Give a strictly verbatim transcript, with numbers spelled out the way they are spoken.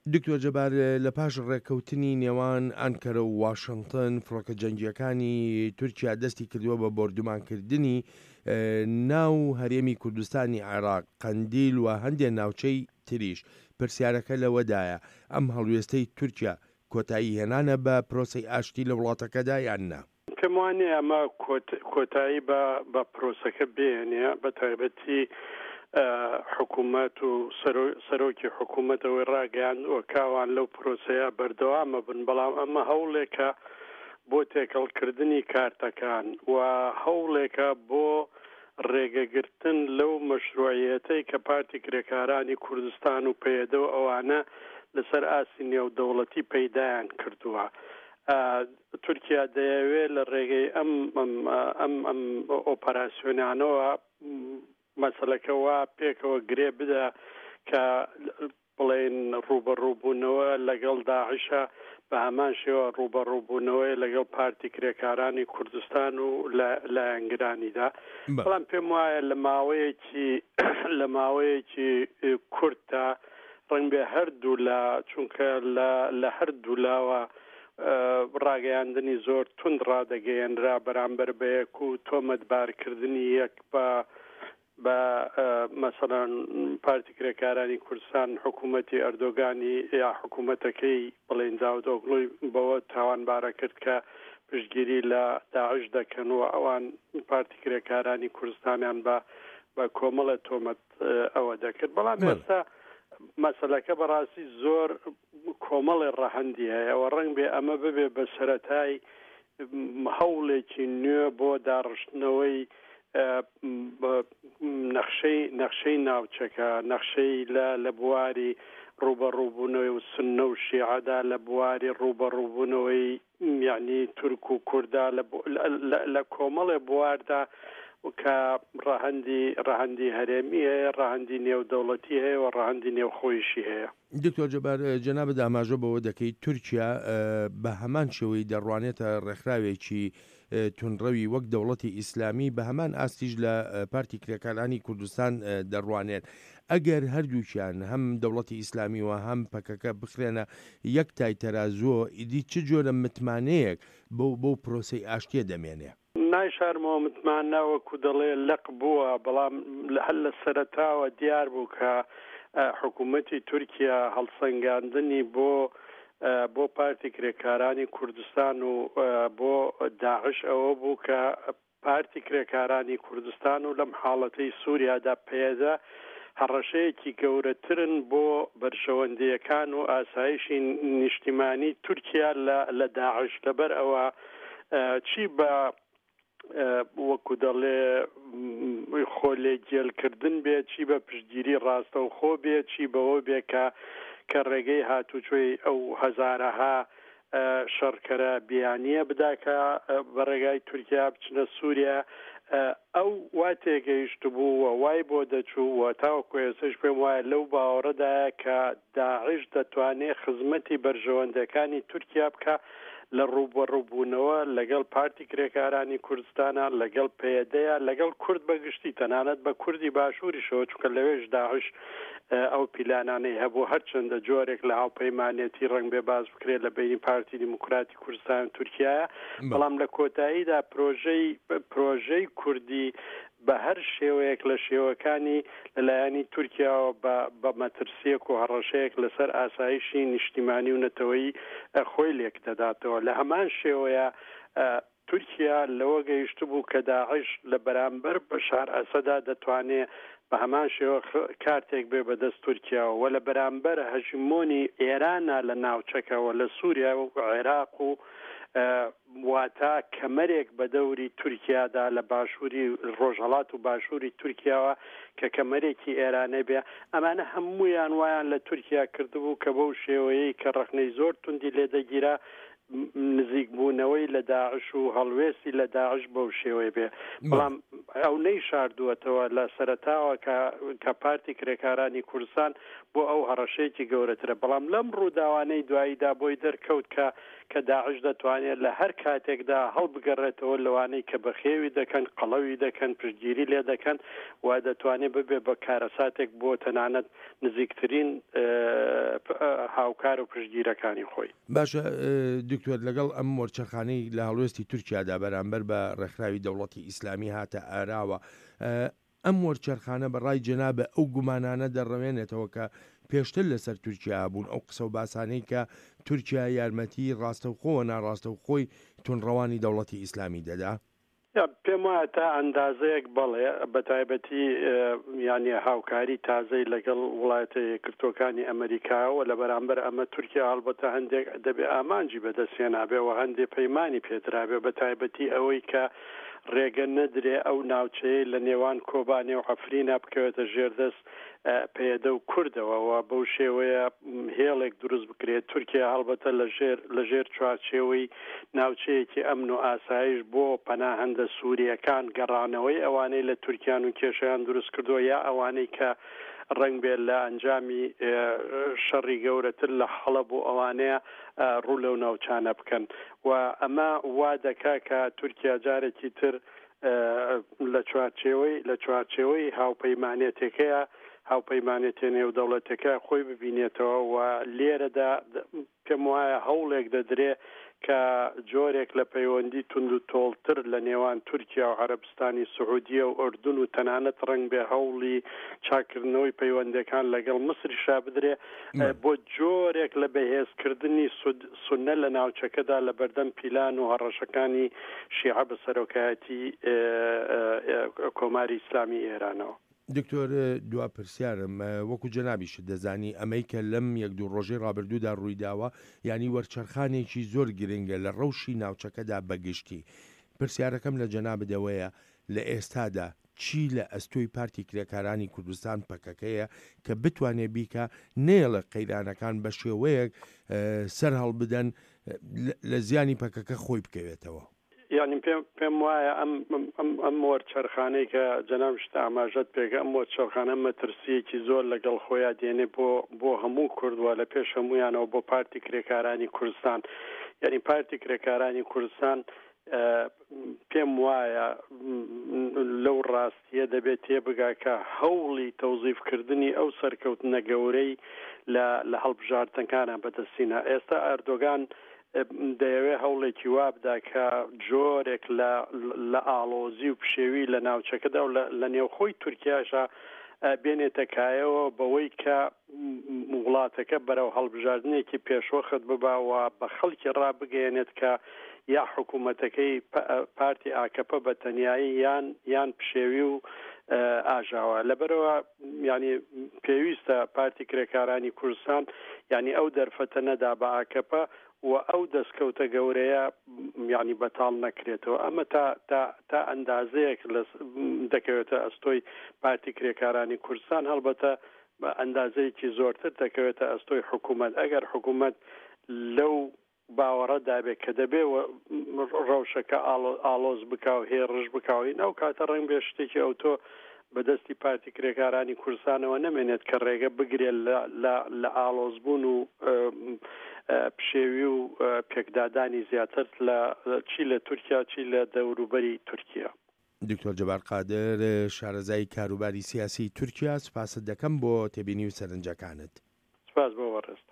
دکتۆر جەبار، لە پاش ڕێککەوتنی نێوان ئانکەرە و واشنتن، فڕۆکە جەنگییەکانی تورکیا دەستی کردووە بە بۆردومانکردنی ناو هەرێمی کوردستانی عێراق، قەندیل و هەندێ ناوچەی تریش. پرسیارەکە لەوەدایە، ئەم هەڵوێستەی تورکیا کۆتایی هێنانە بە پرۆسەی ئاشتی لە وڵاتەکەدا یان نا؟ پێم وانییە ئەمە کۆتایی بە پرۆسەکە بێنێ، بە تایبەتی حکوومەت و سەرۆکی حکوومەت ئەوەی ڕاگەیاندووە کە ئەوان لەو پرۆسەیە بەردەوامە بن، بەڵام ئەمە هەوڵێکە بۆ تێکەڵکردنی کارتەکان و هەوڵێکە بۆ ڕێگەگرتن لەو مەشروعیەتەی کە پارتی کرێکارانی کوردستان و پەیەدە و ئەوانە لەسەر ئاستی نێودەوڵەتی پەیدایان کردووە. تورکیا دەیەوێت لە ڕێگەی ئەم ئەم ئەم ئۆپەراسیۆنانەوە مەسەلەکە وا پێکەوە گرێ بدا کە بڵێن ڕووبەڕووبوونەوە لەگەڵ داعشە بە هەمان شێوە ڕووبەڕووبوونەوەی لەگەڵ پارتی کرێکارانی کوردستان و لایەنگرانیدا. بەڵام پێم وایە لە ماوەیەکی لە ماوەیەکی کورتدا ڕەنگبێ هەردوو لا، چونکە لە هەردوو لاوە ڕاگەیاندنی زۆر توند ڕادەگەیەنرا بەرامبەر بە یەک و تۆمەتبارکردنی یەک بە بە مەسەڵەن پارتی کرێکارانی کوردستان حکوومەتی ئەردۆگانی یا حکوومەتەکەی بڵێن داودئۆغڵوی بەوە تاوانبارە کرد کە پشتگیری لە داعش دەکەن و ئەوان پارتی کرێکارانی کوردستانیان بە بە کۆمەڵە تۆمەت ئەوە دەکرد. بەڵام ئێستا مەسەلەکە بەڕاستی زۆر کۆمەڵی ڕەهەندی هەیە و ڕەنگ بێ ئەمە ببێ بە سەرەتای هەوڵێکی نوێ بۆ داڕشتنەوەی نەخشەی نەخشەی ناوچەکە، نەخشەی لە لە بواری ڕووبەڕووبوونەوەی و سوننە و شیعەدا، لە بواری ڕووبەڕووبوونەوەی یعنی تورک و کووردا، لە کۆمەڵێ بواردا کە ڕەهەندی ڕەهەندی هەرێمی هەیە، ڕەهەندی نێودەوڵەتی هەیە و ڕەهەندی نێوخۆیشی هەیە. دکتۆر جەبار، جەنابت ئاماژە بەوە دەکەیت تورکیا بە هەمان شێوەی دەڕوانێتە ڕێکخراوێکی توندڕەوی وەک دەوڵەتی ئیسلامی، بە هەمان ئاستیش لە پارتی کرێکارانی کوردستان دەڕوانێت. ئەگەر هەردووکیان هەم دەوڵەتی ئیسلامی و هەم پەکەکە بخرێنە یەک تای تەرازووە، ئیدی چ جۆرە متمانەیەک بەو بەو پرۆسەی ئاشتیە دەمێنێ؟ نایشارمەوە متمانە وەکو دەڵێ لەق بووە، بەڵام هەر لە سەرەتاوە دیار بوو کە حکوومەتی تورکیا هەڵسەنگاندنی بۆ بۆ پارتی کرێکارانی کوردستان و بۆ داعش ئەوە بوو کە پارتی کرێکارانی کوردستان و لەم حاڵەتەی سووریادا پەیەدە هەڕەشەیەکی گەورەترن بۆ بەرژەوەندییەکان و ئاسایشی نیشتیمانی تورکیا لە داعش. لەبەر ئەوە چی بە وەکو دەڵێ خۆ لێگێلکردن بێ، چی بە پشتگیری ڕاستەوخۆ بێ، چی بەوە بێ کە کە ڕێگەی هاتوچۆی ئەو هەزارەها شەڕکەرە بیانییە بدا کە بە ڕێگای تورکیا بچنە سووریا، ئەو وا تێگەیشتبوو و وای بۆ دەچوو و تاوەکو ئێستاش پێم وایە لەو باوەڕەدایە کە داعش دەتوانێت خزمەتی بەرژەوەندەکانی تورکیا بکا لە ڕووبەڕووبوونەوە لەگەڵ پارتی کرێکارانی کوردستانە، لەگەڵ پەیەدەیە، لەگەڵ کورد بەگشتی، تەنانەت بە کوردی باشووریشەوە، چونکە لەوێش داعش ئەو پیلانانەی هەبوو، هەرچەندە جۆرێک لە هاوپەیمانێتی ڕەنگ بێ باس بکرێت لە بەینی پارتی دیموکراتی کوردستان و تورکیایە، بەڵام لە کۆتاییدا پرۆژەی پرۆژەی کوردی بە هەر شێوەیەک لە شێوەکانی لەلایەنی تورکیاوە بە بە مەترسییەک و هەڕەشەیەک لەسەر ئاسایشی نیشتیمانی و نەتەوەیی خۆی لێک دەداتەوە. لە هەمان شێوەیە تورکیا لەوە گەیشتبوو کە داعش لە بەرامبەر بەشار ئەسەدا دەتوانێ بە هەمان شێوە کارتێک بێ بەدەست تورکیاوە و لە بەرامبەر هەژمۆنی ئێرانە لە ناوچەکە و لە سووریا و عێراق و واتا کەمەرێک بە دەوری تورکیادا لە باشووری ڕۆژهەڵات و باشووری تورکیاوە کە کەمەرێکی ئێرانە بێ، ئەمانە هەموویان وایان لە تورکیا کردبوو کە بەو شێوەیەی کە ڕەخنەی زۆر توندی لێدەگیرا نزیکبوونەوەی لە داعش و هەڵوێستی لە داعش بەو شێوەیە بێ. بەڵام ئەو نەیشاردووەتەوە لە سەرەتاوە کە کە پارتی کرێکارانی کوردستان بۆ ئەو هەڕەشەیەکی گەورەترە، بەڵام لەم ڕووداوانەی دواییدا بۆی دەرکەوت کە کە داعش دەتوانێت لە هەر کاتێکدا هەڵبگەڕێتەوە لەوانەی کە بەخێوی دەکەن، قەڵەوی دەکەن، پشتگیری لێ دەکەن و دەتوانێت ببێ بە کارەساتێک بۆ تەنانەت نزیکترین هاوکار و پشتگیرەکانی خۆی. باشە دکتۆر، لەگەڵ ئەم وەرچەرخانەی لە هەڵوێستی تورکیادا بەرامبەر بە ڕێکخراوی دەوڵەتی ئیسلامی هاتە ئاراوە، ئەم وەرچەرخانە بە ڕای جەنابە ئەو گومانانە دەڕەوێنێتەوە کە پێشتر لەسەر تورکیا بوون، ئەو قسە و باسانەی کە تورکیا یارمەتی ڕاستەوخۆ و ناڕاستەوخۆی توندڕەوانی دەوڵەتی ئیسلامی دەدا؟ پێم وایە تا ئەندازەیەک بەڵێ، بە تایبەتی یعنی هاوکاری تازەی لەگەڵ وڵاتە یەکگرتووەکانی ئەمریکاوە. لە بەرامبەر ئەمە تورکیا هەڵبەتە هەندێک دەبێ ئامانجی بەدەستهێنابێ و هەندێک پەیمانی پێدرابێ، بە تایبەتی ئەوەی کە ڕێگە نەدرێ ئەو ناوچەیە لە نێوان کۆبانێ و عەفرینا بکەوێتە ژێردەست پەیەدە و کوردەوە و بەو شێوەیە هێڵێک دروست بکرێت. تورکیا هەڵبەتە لە ژێر چوارچێوەی ناوچەیەکی ئەمن و ئاسایش بۆ پەناهەندە سووریەکان گەڕانەوەی ئەوانەی لە تورکیان و کێشەیان دروست کردووە یا ئەوانەی کە ڕەنگ بێت لە ئەنجامی شەڕی گەورەتر لە حەڵەب و ئەوانەیە ڕوو لەو ناوچانە بکەن. و ئەمە وا دەکا کە تورکیا جارێکی تر لە چوارچێوەی لە چوارچێوەی هاوپەیمانێتەکەیە هاوپەیمانێتێ نێودەوڵەتەکە خۆی ببینێتەوە و لێرەدا پێم وایە هەوڵێک دەدرێ کە جۆرێک لە پەیوەندی تونند و تۆڵتر لە نێوان تورکیا و عەرەبستانی سعودیە و ئوردن و تەنانەت ڕەنگ بێ هەوڵی چاکردنەوەی پەیوەندەکان لەگەڵ مسریشا بدرێ بۆ جۆرێک لە بەهێزکردنی سوننە لە ناوچەکەدا لە بەردەم پیلان و هەڕەشەکانی شیعە بە سەرۆکایەتی کۆماری ئیسلامی ئێرانەوە. دکتۆر، دوا پرسیارم، وەکو جەنابیشت دەزانی ئەمەی کە لەم یەک دوو ڕۆژەی ڕابردوودا ڕوویداوە یعنی وەرچەرخانێکی زۆر گرنگە لە ڕەوشی ناوچەکەدا بەگشتی. پرسیارەکەم لە جەنابدەوەیە لە ئێستادا چی لە ئەستۆی پارتی کرێکارانی کوردستان پەکەکەیە کە بتوانێت بیکە نێڵە قەیرانەکان بە شێوەیەک سەر هەڵبدەن لە زیانی پەکەکە خۆی بکەوێتەوە؟ یعنی پێم وایە ئەم ئەم وەرچەرخانەی کە جەنابشت ئاماژەت پێکە، ئەم وەرچەرخانە مەترسیەکی زۆر لەگەڵ خۆیان دێنێ بۆ بۆ هەموو کوردوە، لە پێش هەمویانەوە بۆ پارتی کرێکارانی کوردستان. یعنی پارتی کرێکارانی کوردستان پێم وایە لەو ڕاستیە دەبێت تێبگا کە هەوڵی تەوزیفکردنی ئەو سەرکەوتنە گەورەی لە هەڵبژاردنەکانە بەدەستینە. ئێستا ئەردۆگان دەیەوێت هەوڵێکی وا بدا کە جۆرێک لە ئاڵۆزی و پشێوی لە ناوچەکەدا و لە نێوخۆی تورکیاشا بێنێتە کایەوە بەوەی کە وڵاتەکە بەرەو هەڵبژاردنێکی پێشوەخت ببا و بە خەڵکی ڕابگەیەنێت کە یا حکوومەتەکەی پارتی ئاکەپە بە تەنیایی یان یان پشێوی و ئاژاوە. لەبەرەوە ینی پێویستە پارتی کرێکارانی کوردستان ینی ئەو دەرفەتە نەدا بە ئاکەپە و ئەو دەستکەوتە گەورەیە یعنی بەتاڵ نەکرێتەوە. ئەمە تا تا تا ئەندازەیەک دەکەوێتە ئەستۆی پارتی کرێکارانی کوردستان، هەڵبەتە بە ئەندازەیەکی زۆرتر دەکەوێتە ئەستۆی حکوومەت. ئەگەر حکوومەت لەو باوەڕەدا بێت کە دەبێ ڕەوشەکە ئاڵۆز بکا و هێڕش بکاوین، ئەو کاتە ڕەنگ بێ شتێکی ئەوتۆ بەدەستی پارتی کرێکارانی کوردستانەوە نەمێنێت کە ڕێگە بگرێت لە ئاڵۆزبوون و پشێوی و پێکدادانی زیاتر لە چی لە تورکیا چی لە دەوروبەری تورکیا. دکتۆر جەبار قادر، شارەزای کاروباری سیاسی تورکیا، سوپاست دەکەم بۆ تێبینی و سەرنجەکانت. سپاس بۆ بەڕێزت.